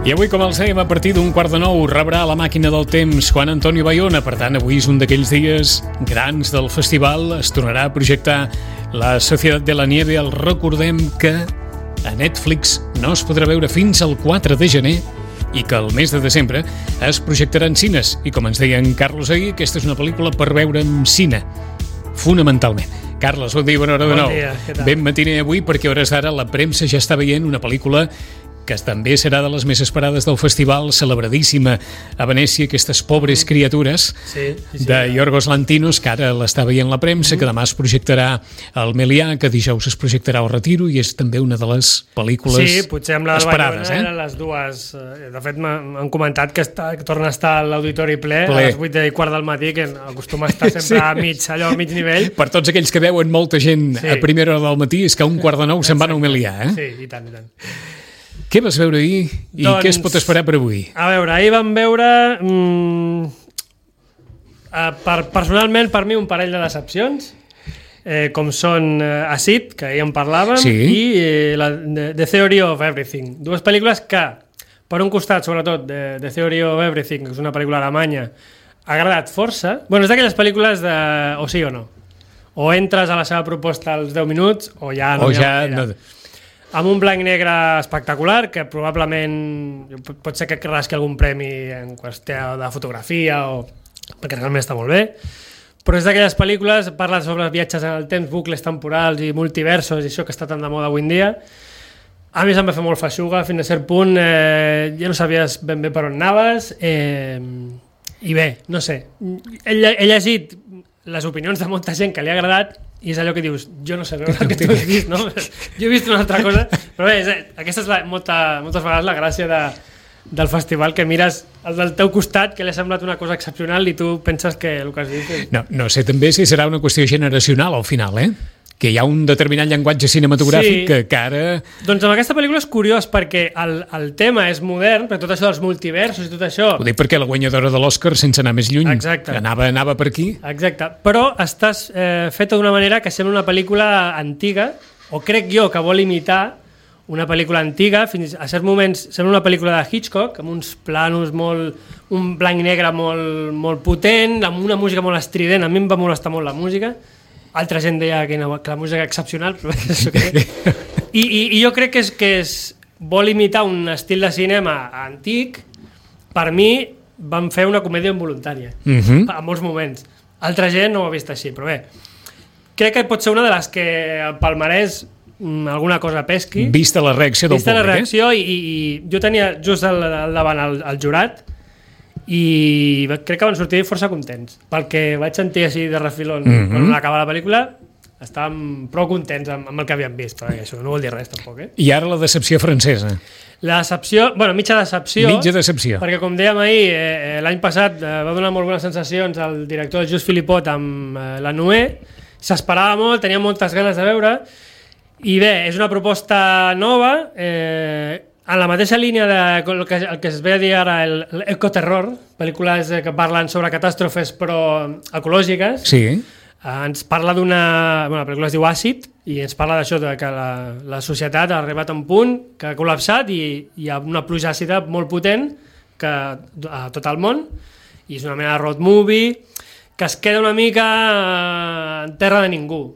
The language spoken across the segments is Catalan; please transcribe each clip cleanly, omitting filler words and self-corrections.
I avui, com els dèiem, a partir d'un 8:45 rebrà la màquina del temps Juan Antonio Bayona. Per tant, avui és un d'aquells dies grans del festival. Es tornarà a projectar La Sociedad de la Nieve. El recordem que a Netflix no es podrà veure fins al 4 de gener i que el mes de desembre es projectarà en cines. I com ens deia en Carlos ahir, aquesta és una pel·lícula per veure en cine, fonamentalment. Carles, bon dia, bona hora de nou. Bon dia, què tal? Ben matiner avui, perquè a hores d'ara la premsa ja està veient una pel·lícula que també serà de les més esperades del festival, celebradíssima a Venècia, Aquestes pobres criatures, de Yorgos Lanthimos, que ara l'està veient la premsa, que demà es projectarà al Melià, que dijous es projectarà al Retiro, i és també una de les pel·lícules esperades. Sí, potser amb la Bayona eren les dues. De fet, m'han comentat que torna a estar a l'auditori ple a les 8:15 del matí, que acostuma a estar sempre a mig nivell. Per tots aquells que veuen molta gent a primera hora del matí, és que a 8:45 se'n van al Melià, eh? Sí, i tant, i tant. Què vas veure ahir i què es pot esperar per avui? A veure, ahir vam veure personalment per mi un parell de decepcions, com són Acid, que ahir en parlàvem, i The Theory of Everything. Dues pel·lícules que, per un costat, sobretot, The Theory of Everything, que és una pel·lícula alemanya, ha agradat força. Bueno, és d'aquelles pel·lícules de o sí o no. O entres a la seva proposta als 10 minuts o ja no. Amb un blanc negre espectacular, que probablement pot ser que rasqui algun premi en qüestió de fotografia, perquè realment està molt bé, però és d'aquelles pel·lícules, parla sobre els viatges en el temps, bucles temporals i multiversos, i això que està tan de moda avui en dia. A mi se'm va fer molt feixuga, fins a cert punt, ja no sabies ben bé per on anaves, i bé, no sé, he llegit les opinions de molta gent que li ha agradat, i és allò que dius, jo no sé veure el que tu has vist, no? Jo he vist una altra cosa, però bé, aquesta és moltes vegades la gràcia del festival, que mires el del teu costat, que li ha semblat una cosa excepcional i tu penses que el que has vist és... No sé també si serà una qüestió generacional al final, que hi ha un determinat llenguatge cinematogràfic que ara... Doncs amb aquesta pel·lícula és curiós, perquè el tema és modern, però tot això dels multiversos i tot això... Ho dic perquè la guanyadora de l'Oscar, sense anar més lluny, anava per aquí. Exacte, però estàs feta d'una manera que sembla una pel·lícula antiga, o crec jo que vol imitar una pel·lícula antiga, fins a certs moments sembla una pel·lícula de Hitchcock, amb uns planos un blanc i negre molt potent, amb una música molt estrident. A mi em va molestar molt la música. Altra gent deia que la música és excepcional, però i jo crec que vol imitar un estil de cinema antic. Per mi van fer una comèdia involuntària en molts moments. Altra gent no ho ha vist així, però bé, crec que pot ser una de les que al palmarès alguna cosa pesqui. Vista la reacció del públic. Vista la reacció, i jo tenia just al davant el jurat, i crec que van sortir força contents, pel que vaig sentir així de refilón quan acaba la pel·lícula. Estàvem prou contents amb el que havíem vist, perquè això no vol dir res tampoc. I ara la decepció francesa. La decepció, mitja decepció. Mitja decepció. Perquè com dèiem ahir, l'any passat va donar molt bones sensacions al director Just Philippot amb La Noé. S'esperava molt, tenia moltes ganes de veure, i bé, és una proposta nova, en la mateixa línia del que es ve a dir ara l'ecoterror, pel·lícules que parlen sobre catàstrofes però ecològiques. Sí. Ens parla la pel·lícula es diu Àcid, i ens parla d'això, que la societat ha arribat a un punt que ha col·lapsat i hi ha una pluja àcida molt potent a tot el món, i és una mena de road movie que es queda una mica en terra de ningú.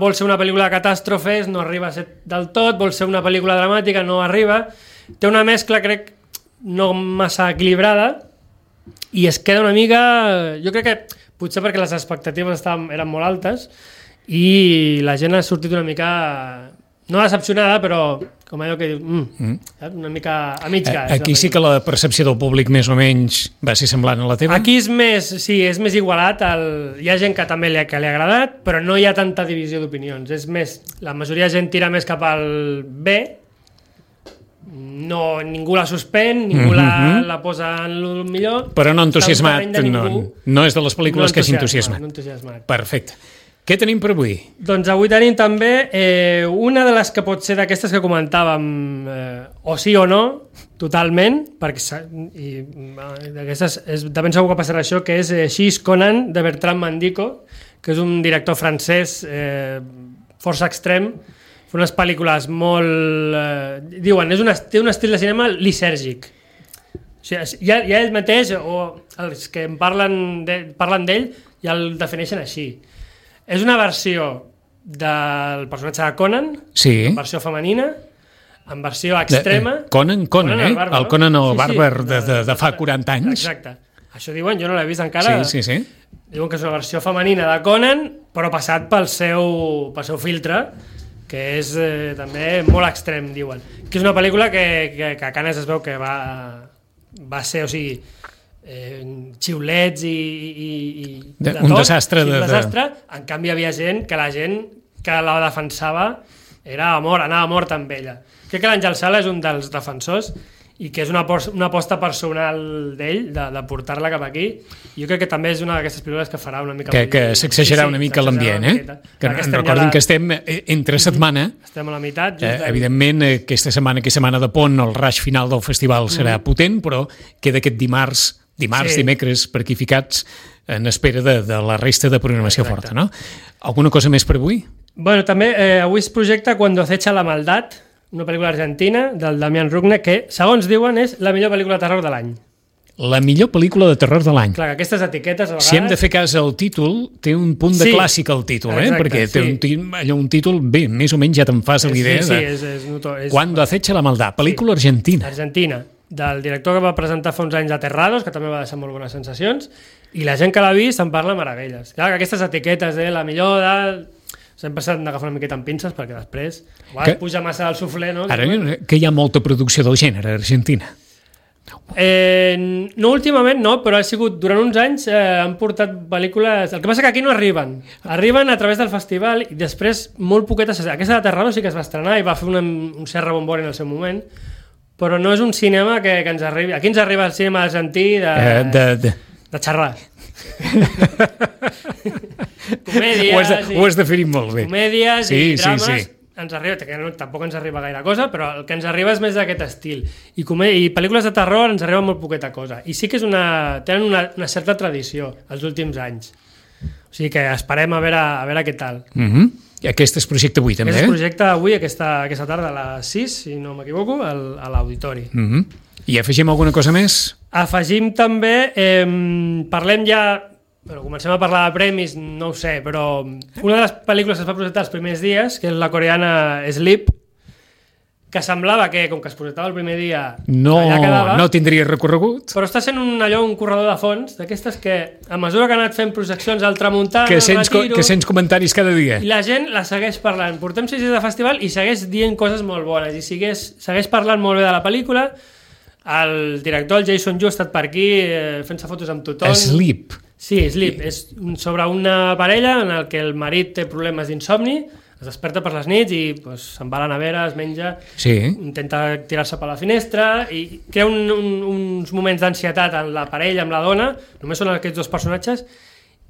Vol ser una pel·lícula de catàstrofes, no arriba a ser del tot, vol ser una pel·lícula dramàtica, no arriba. Té una mescla, crec, no massa equilibrada, i es queda una mica... Jo crec que potser perquè les expectatives eren molt altes i la gent ha sortit una mica... No decepcionada, però com allò que diu, una mica a mig gas. Aquí sí que la percepció del públic més o menys va ser semblant a la teva? Aquí és més igualat. Hi ha gent que també li ha agradat, però no hi ha tanta divisió d'opinions. És més, la majoria de gent tira més cap al B, ningú la suspèn, ningú la posa en el millor. Però no entusiasmat, no és de les pel·lícules que s'entusiasmat. No entusiasmat. Perfecte. Què tenim per avui? Doncs avui tenim també una de les que pot ser d'aquestes que comentàvem, o sí o no, totalment, perquè d'aquestes de ben segur que passarà això, que és She's Conan, de Bertrand Mandico, que és un director francès força extrem, fa unes pel·lícules molt... diuen, té un estil de cinema lisèrgic. O sigui, ja ell mateix, o els que parlen d'ell, ja el defineixen així. És una versió del personatge de Conan, en versió femenina, en versió extrema... Conan, el Conan el bàrbar de fa 40 anys. Exacte. Això diuen, jo no l'he vist encara. Sí. Diuen que és una versió femenina de Conan, però passat pel seu filtre, que és també molt extrem, diuen. Que és una pel·lícula que a Canes es veu que va ser, o sigui, xiulets i de tot, un desastre. En canvi hi havia gent que la defensava, anava mort amb ella. Crec que l'Àngel Sala és un dels defensors i que és una aposta personal d'ell de portar-la cap aquí. Jo crec que també és una d'aquestes pel·lícules que farà una mica... Que s'exagerarà una mica l'ambient, Que recordin que estem entre setmana. Estem a la meitat. Evidentment, aquesta setmana de pont, el rush final del festival serà potent, però queda aquest dimecres, per aquí ficats, en espera de la resta de programació forta, no? Alguna cosa més per avui? Bueno, també avui es projecta Cuando acecha la maldad, una pel·lícula argentina del Damián Rugna, que, segons diuen, és la millor pel·lícula de terror de l'any. La millor pel·lícula de terror de l'any. Clar, aquestes etiquetes, a vegades... Si hem de fer cas al títol, té un punt de clàssic al títol, perquè té un títol, bé, més o menys ja te'n fas l'idea de Cuando acecha la maldad, pel·lícula argentina. Argentina, del director que va presentar fa uns anys Aterrados, que també va deixar molt bones sensacions, i la gent que l'ha vist en parla meravelles. Clar, que aquestes etiquetes de la millor de... Sempre s'han d'agafar una miqueta amb pinces perquè després puja massa el suflé, no? Ara que hi ha molta producció del gènere a Argentina. No últimament no, però ha sigut durant uns anys han portat pel·lícules... El que passa que aquí no arriben a través del festival i després molt poquetes... Aquesta de Terrado sí que es va estrenar i va fer un cert rebombori en el seu moment, però no és un cinema que ens arribi... Aquí ens arriba el cinema argentí de xerrar. Comèdies, ho has definit molt bé. Comèdies i drames ens arriba, que tampoc ens arriba gaire cosa, però el que ens arriba és més d'aquest estil i pel·lícules de terror ens arriba molt poqueta cosa i sí que tenen una certa tradició els últims anys, o sigui que esperem a veure què tal. I aquest és projecte avui també? Aquest és projecte avui, aquesta tarda a les 6, si no m'equivoco, a l'auditori. I afegim alguna cosa més? Afegim també, parlem ja, comencem a parlar de premis, no ho sé, però una de les pel·lícules que es va projectar els primers dies, que és la coreana Sleep, que semblava que, com que es projectava el primer dia, allà quedava... No tindria recorregut. Però està sent un corredor de fons, d'aquestes que, a mesura que ha anat fent projeccions al Tramuntana, que sents comentaris cada dia. I la gent la segueix parlant. Portem 6 dies de festival i segueix dient coses molt bones, i segueix parlant molt bé de la pel·lícula. El director, el Jason Yu, ha estat per aquí fent-se fotos amb tothom. Sleep. Sí, Sleep. És sobre una parella en el que el marit té problemes d'insomni, es desperta per les nits i se'n va a la nevera, es menja, intenta tirar-se per la finestra i crea uns moments d'ansietat en la parella, amb la dona, només són aquests dos personatges,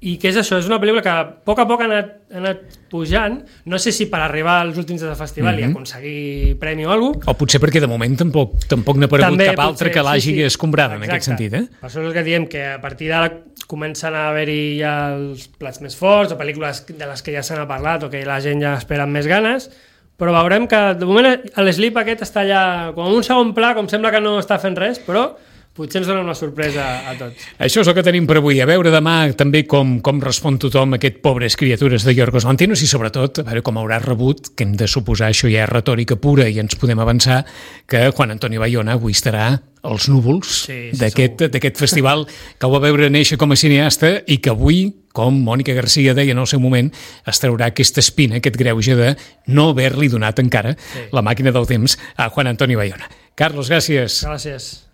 i què és això? És una pel·lícula que a poc ha anat pujant, no sé si per arribar als últims del festival i aconseguir premi o alguna cosa. O potser perquè de moment tampoc n'ha aparegut cap altre que l'hagi escombrada en aquest sentit. Per això és el que diem, que a partir d'ara comencen a haver-hi ja els plats més forts o pel·lícules de les que ja s'han parlat o que la gent ja espera amb més ganes, però veurem que de moment l'Sleep aquest està allà com en un segon pla, com sembla que no està fent res, però potser ens dona una sorpresa a tots. Això és el que tenim per avui. A veure demà també com respon tothom a aquest Pobres criatures de Yorgos Lanthimos i sobretot a veure com haurà rebut, que hem de suposar això ja és retòrica pura i ens podem avançar, que Juan Antonio Bayona avui estarà als núvols d'aquest festival que ho va veure néixer com a cineasta i que avui, com Mònica Garcia deia en el seu moment, es traurà aquesta espina, aquest greuge de no haver-li donat encara la màquina del temps a Juan Antonio Bayona. Carlos, gràcies. Gràcies.